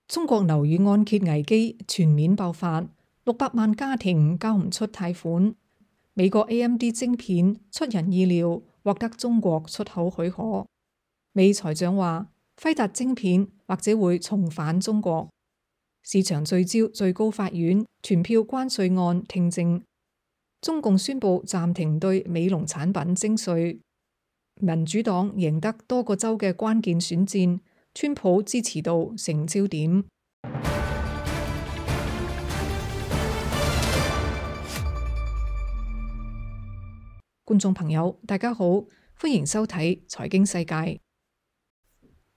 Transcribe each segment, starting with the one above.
中國樓宇按揭危機全面爆發，600萬家庭交唔出貸款。美國 AMD 晶片出人意料獲得中國出口許可。美財長話，輝達晶片或者會重返中國。市場聚焦最高法院傳票關稅案聽證。中共宣布暫停對美農產品徵稅。民主黨贏得多個州嘅關鍵選戰，川普支持度成焦點。觀眾朋友，大家好，歡迎收睇財經世界。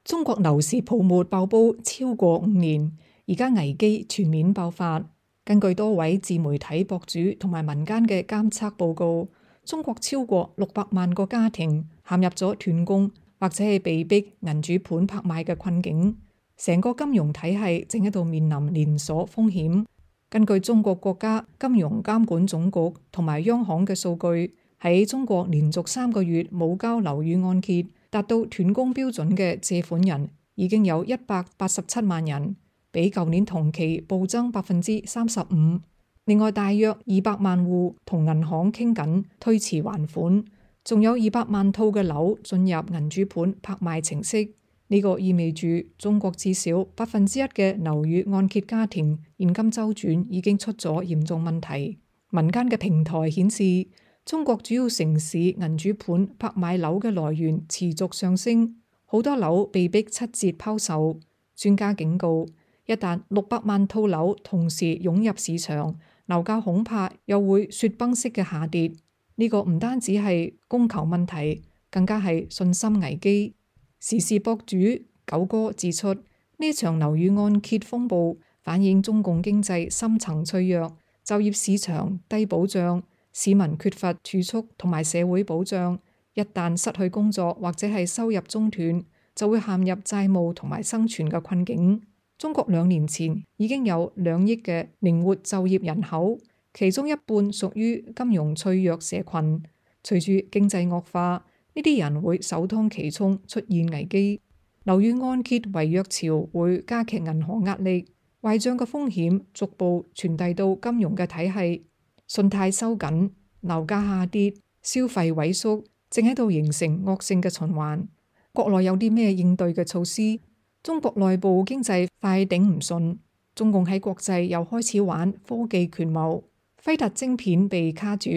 中國樓市泡沫爆煲超過5年，而家危機全面爆發。根據多位自媒體博主同埋民間嘅監測報告，中國超過600萬個家庭陷入咗斷供或者係被逼銀主盤拍賣嘅困境，成個金融體系正喺度面臨連鎖風險。根據中國國家金融監管總局同埋央行嘅數據，喺中國連續3個月冇交樓宇按揭達到斷供標準嘅借款人已經有187萬人，比舊年同期暴增35%。另外，大約200萬戶同銀行傾緊推遲還款。仲有200萬套嘅樓進入銀主盤拍賣程式，呢個意味住中國至少1%嘅樓宇按揭家庭現金周轉已經出咗嚴重問題。民間嘅平台顯示，中國主要城市銀主盤拍賣樓嘅來源持續上升，好多樓被逼7折拋售。專家警告，一旦600萬套樓同時湧入市場，樓價恐怕又會雪崩式嘅下跌。呢個唔單止係供求問題，更加係信心危機。時事博主九哥指出，呢場樓宇按揭風暴反映中共經濟深層脆弱，就業市場低保障，市民缺乏儲蓄同埋社會保障。一旦失去工作或者係收入中斷，就會陷入債務同埋生存嘅困境。中國2年前已經有2億嘅靈活就業人口，其中一半屬於金融脆弱社群。隨住經濟惡化，呢啲人會首當其衝出現危機。樓宇按揭違約潮會加劇銀行壓力，壞賬嘅風險逐步傳遞到金融嘅體系，信貸收緊，樓價下跌，消費萎縮，正喺度形成惡性嘅循環。國內有啲咩應對嘅措施？中國內部經濟快頂唔順，中共喺國際又開始玩科技權謀。輝達晶片被卡住，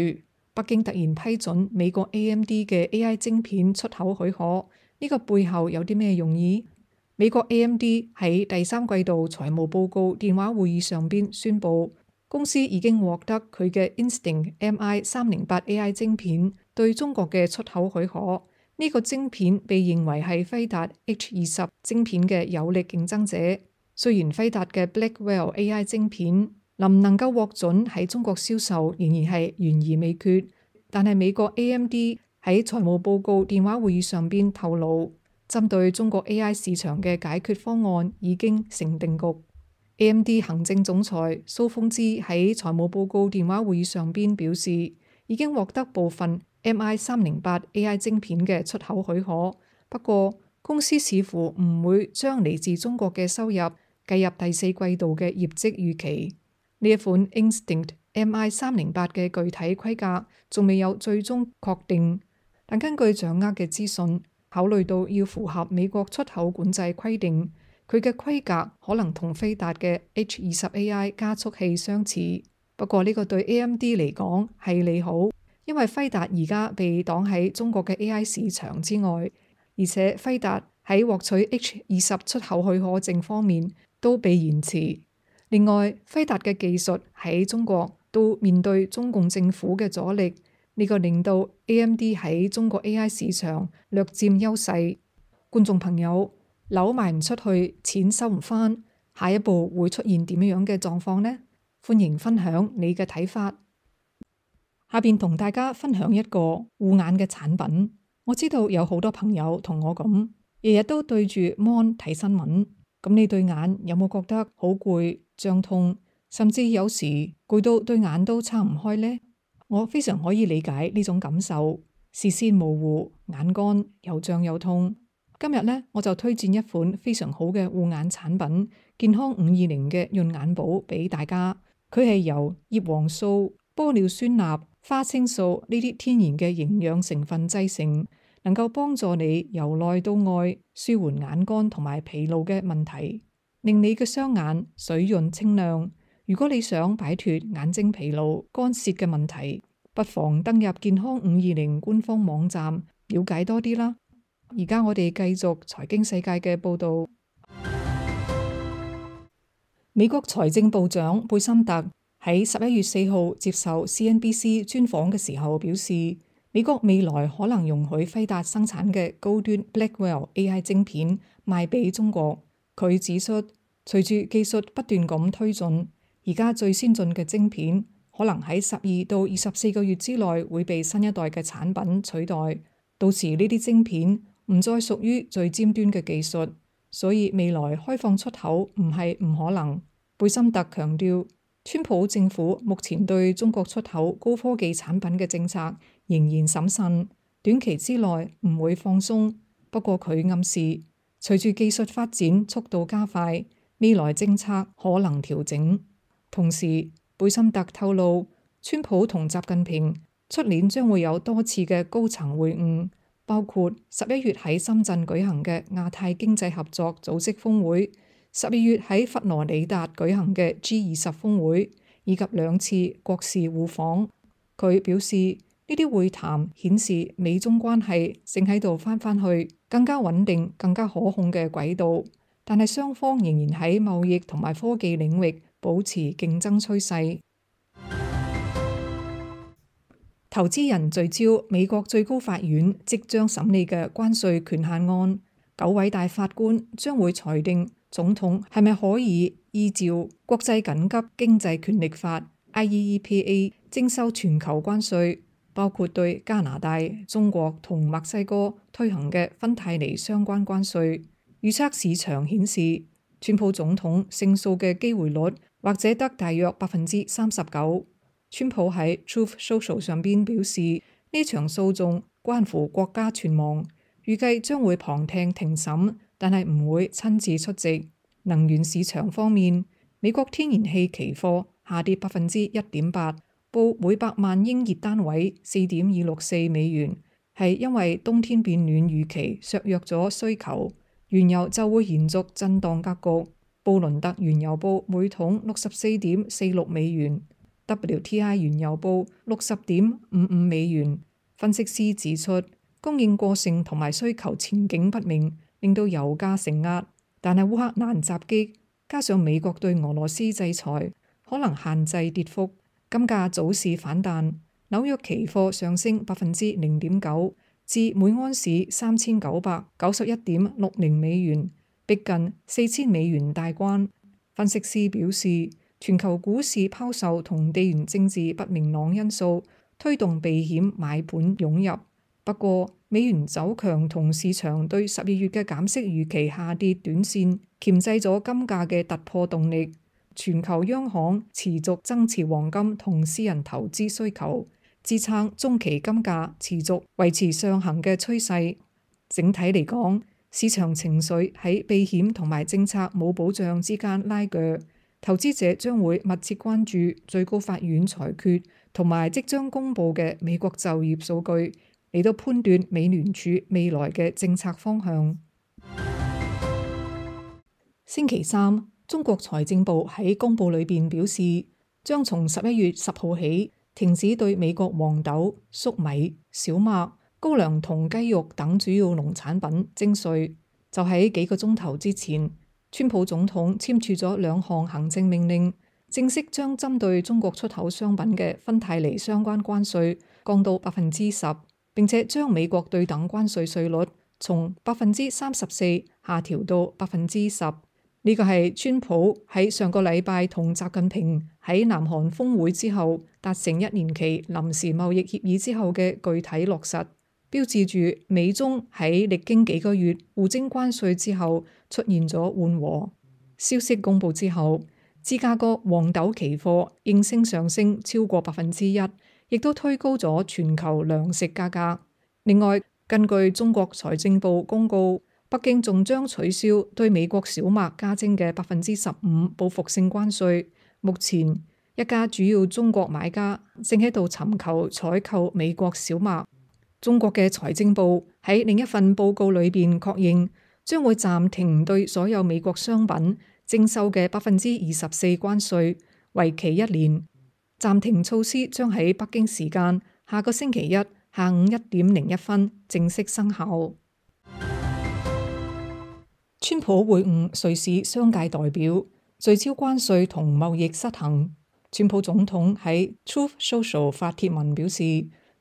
北京突然批准美國 AMD 嘅 AI 晶片出口許可，呢個背後有啲咩用意？美國 AMD 喺第3季度財務報告電話會議上邊宣布，公司已經獲得佢嘅 Instinct MI308 AI 晶片對中國嘅出口許可。呢個晶片被認為係輝達 H20 晶片嘅有力競爭者。雖然輝達嘅 Blackwell AI 晶片能唔能夠獲准喺中國銷售仍然係懸而未決，但係美國 AMD 喺財務報告電話會議上邊透露，針對中國 AI 市場嘅解決方案已經成定局。AMD 行政總裁蘇峰之喺財務報告電話會議上邊表示，已經獲得部分 MI308 AI 晶片嘅出口許可，不過公司似乎唔會將嚟自中國嘅收入計入第4季度嘅業績預期。呢一款 Instinct MI308 嘅具體規格仲未有最終確定，但根據掌握嘅資訊，考慮到要符合美國出口管制規定，佢嘅規格可能同輝達嘅 H20 AI 加速器相似。不過呢個對 AMD 嚟講係利好，因為輝達而家被擋喺中國嘅 AI 市場之外，而且輝達喺獲取 H20 出口許可證方面都被延遲。另外，輝達嘅技術喺中國都面對中共政府嘅阻力，呢個令到 AMD 喺中國 AI 市場略佔優勢。觀眾朋友，樓賣唔出去，錢收唔返，下一步會出現點樣嘅狀況呢？歡迎分享你嘅睇法。下邊同大家分享一個護眼嘅產品。我知道有好多朋友同我咁，日日都對住 mon 睇新聞。咁你對眼有冇覺得好攰、脹痛，甚至有時攰到對眼都撐唔開呢？我非常可以理解呢種感受，視線模糊、眼乾又脹又痛。今日呢，我就推薦一款非常好嘅護眼產品——健康520嘅潤眼寶俾大家。佢係由葉黃素、玻尿酸鈉、花青素呢啲天然嘅營養成分製成，能夠幫助你由內到外舒緩眼乾同埋疲勞嘅問題，令你嘅雙眼水潤清亮。如果你想擺脫眼睛疲勞、乾澀嘅問題，不妨登入健康520官方網站了解多啲啦。而家我哋繼續財經世界嘅報道。美國財政部長貝森特喺11月4號接受 CNBC 專訪嘅時候表示，美國未來可能容許輝達生產嘅高端 Blackwell AI 晶片賣俾中國。佢指出，隨住技術不斷咁推進，而家最先進嘅晶片可能喺12到24個月之內會被新一代嘅產品取代。到時呢啲晶片唔再屬於最尖端嘅技術，所以未來開放出口唔係唔可能。貝森特強調，川普政府目前對中國出口高科技產品嘅政策仍然審慎，短期之內唔會放鬆。不過佢暗示，隨住技術發展速度加快，未來政策可能調整。同時，貝森特透露，川普同習近平出年將會有多次嘅高層會晤，包括11月喺深圳舉行嘅亞太經濟合作組織峰會，12月喺佛羅里達舉行嘅 G20 峰會，以及2次國事互訪。佢表示，呢啲會談顯示美中關係正喺度返去更加穩定、更加可控嘅軌道，但係雙方仍然喺貿易同埋科技領域保持競爭趨勢。投資人聚焦美國最高法院即將審理嘅關稅權限案，9位大法官將會裁定總統係咪可以依照國際緊急經濟權力法 IEEPA 徵收全球關稅，包括對加拿大、中國同墨西哥推行嘅芬太尼相關關稅。預測市場顯示，川普總統勝訴嘅機會率或者得大約39%。川普喺 Truth Social 上邊表示，呢場訴訟關乎國家存亡，預計將會旁聽庭審，但係唔會親自出席。能源市場方面，美國天然氣期貨下跌1.8%，報每百萬英熱單位4.264美元，係因為冬天變暖預期削弱咗需求。原油就會延續震盪格局，布倫特原油報每桶64.46美元。WTI 原油報60.55美元。分析師指出，供應過剩同埋需求前景不明，令到油價承壓。但係烏克蘭襲擊加上美國對俄羅斯制裁，可能限制跌幅。金價早市反彈，紐約期貨上升0.9%至每安士3991.60美元，逼近4000美元大關。分析師表示，全球股市拋售同地緣政治不明朗因素推動避險買盤湧入，不過美元走強同市場對12月嘅減息預期下跌短線鉗制咗金價嘅突破動力。全球央行持續增持黃金同私人投資需求，支撐中期金價持續維持上行嘅趨勢。整體嚟講，市場情緒喺避險同埋政策冇保障之間拉鋸。投資者將會密切關注最高法院裁決同埋即將公布嘅美國就業數據，嚟到判斷美聯儲未來嘅政策方向。星期三，中國財政部喺公佈裏邊表示，將從11月10號起停止對美國黃豆、粟米、小麥、高粱同雞肉等主要農產品徵稅。就喺幾個鐘頭之前，川普總統簽署咗2項行政命令，正式將針對中國出口商品嘅芬太尼相關關稅降到10%，並且將美國對等關稅稅率從34%下調到10%。呢個係川普喺上個禮拜同習近平喺南韓峰會之後達成1年期臨時貿易協議之後嘅具體落實，標誌住美中喺歷經幾個月互徵關稅之後出現咗緩和。消息公佈之後，芝加哥黃豆期貨應聲上升超過1%，亦都推高咗全球糧食價格。另外，根據中國財政部公告，北京仲將取消對美國小麥加徵嘅15%報復性關稅。目前一家主要中國買家正喺度尋求採購美國小麥。中國嘅財政部喺另一份報告裏邊確認，將會暫停對所有美國商品徵收嘅24%關稅，為期1年。暫停措施將喺北京時間下個星期一下午1:01正式生效。川普會晤瑞士商界代表，聚焦關稅同貿易失衡。川普總統喺 Truth Social 發帖文表示，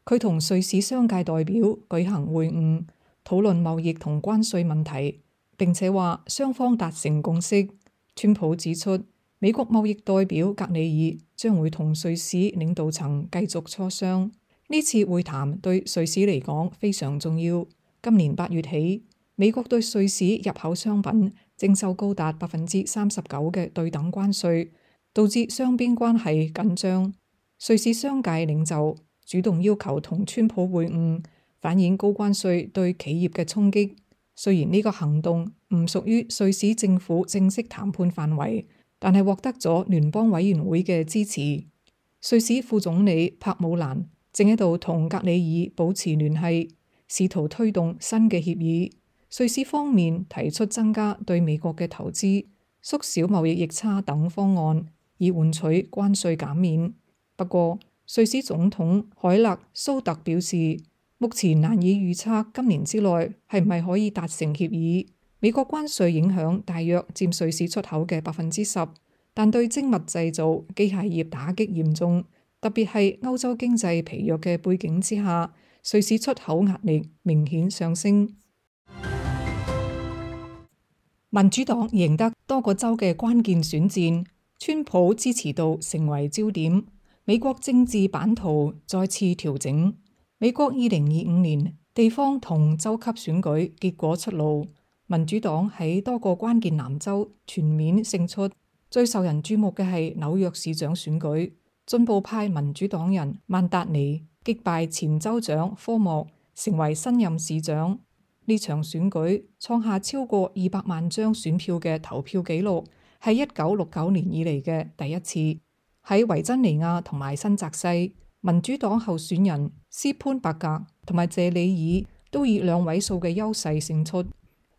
佢同瑞士商界代表舉行會晤，討論貿易同關稅問題，並且話雙方達成共識。川普指出，美國貿易代表格里爾將會同瑞士領導層繼續磋商。呢次會談對瑞士嚟講非常重要。今年8月起，美國對瑞士入口商品徵收高達39%嘅對等關稅，導致雙邊關係緊張。瑞士商界領袖主動要求同川普會晤，反映高關稅對企業嘅衝擊。雖然呢個行動唔屬於瑞士政府正式談判範圍，但係獲得咗聯邦委員會嘅支持。瑞士副總理帕姆蘭正喺度同格里爾保持聯繫，試圖推動新嘅協議。瑞士方面提出增加對美國嘅投資、縮小貿易逆差等方案，以換取關稅減免。不過，瑞士總統海勒蘇特表示，目前難以預測今年之內係唔係可以達成協議。美國關稅影響大約佔瑞士出口嘅10%，但對精密製造、機械業打擊嚴重，特別係歐洲經濟疲弱嘅背景之下，瑞士出口壓力明顯上升。民主黨贏得多個州嘅關鍵選戰，川普支持度成為焦點。美國政治版圖再次調整。美國2025年地方同州級選舉結果出爐，民主黨喺多個關鍵南州全面勝出。最受人注目嘅係紐約市長選舉，進步派民主黨人曼達尼擊敗前州長科莫，成為新任市長。呢場選舉創下超過200萬張選票嘅投票紀錄，係1969年以嚟嘅第一次。喺維珍尼亞同埋新澤西，民主黨候選人斯潘伯格同埋謝里爾都以2位數嘅優勢勝出。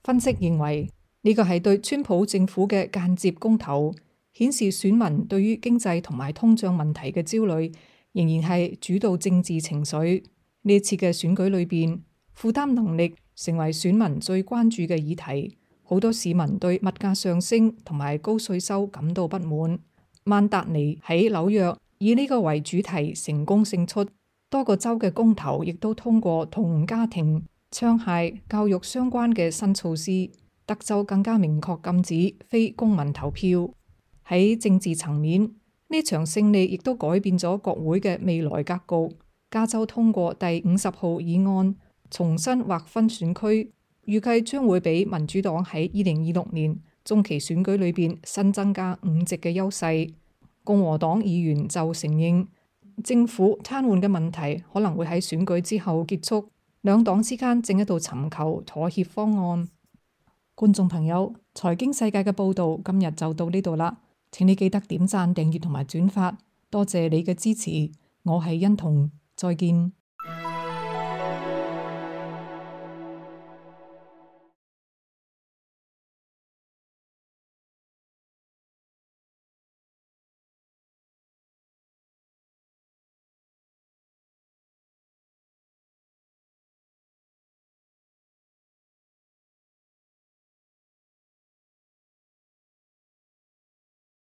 分析認為呢個係對川普政府嘅間接公投，顯示選民對於經濟同埋通脹問題嘅焦慮仍然係主導政治情緒。呢次嘅選舉裏邊，負擔能力成為選民最關注嘅議題。好多市民對物價上升同埋高稅收感到不滿。曼達尼喺紐約以呢個為主題成功勝出，多個州嘅公投亦都通過同家庭、槍械、教育相關嘅新措施。德州更加明確禁止非公民投票。喺政治層面，呢場勝利亦都改變咗國會嘅未來格局。加州通過第50號議案，重新劃分選區，預計將會俾民主黨喺2026年中期選舉裏邊新增加5席嘅優勢。共和黨議員就承認政府癱瘓嘅問題可能會喺選舉之後結束，兩黨之間正喺度尋求妥協方案。觀眾朋友，財經世界嘅報道今日就到呢度啦，請你記得點讚、訂閱同埋轉發，多謝你嘅支持。我係欣彤，再見。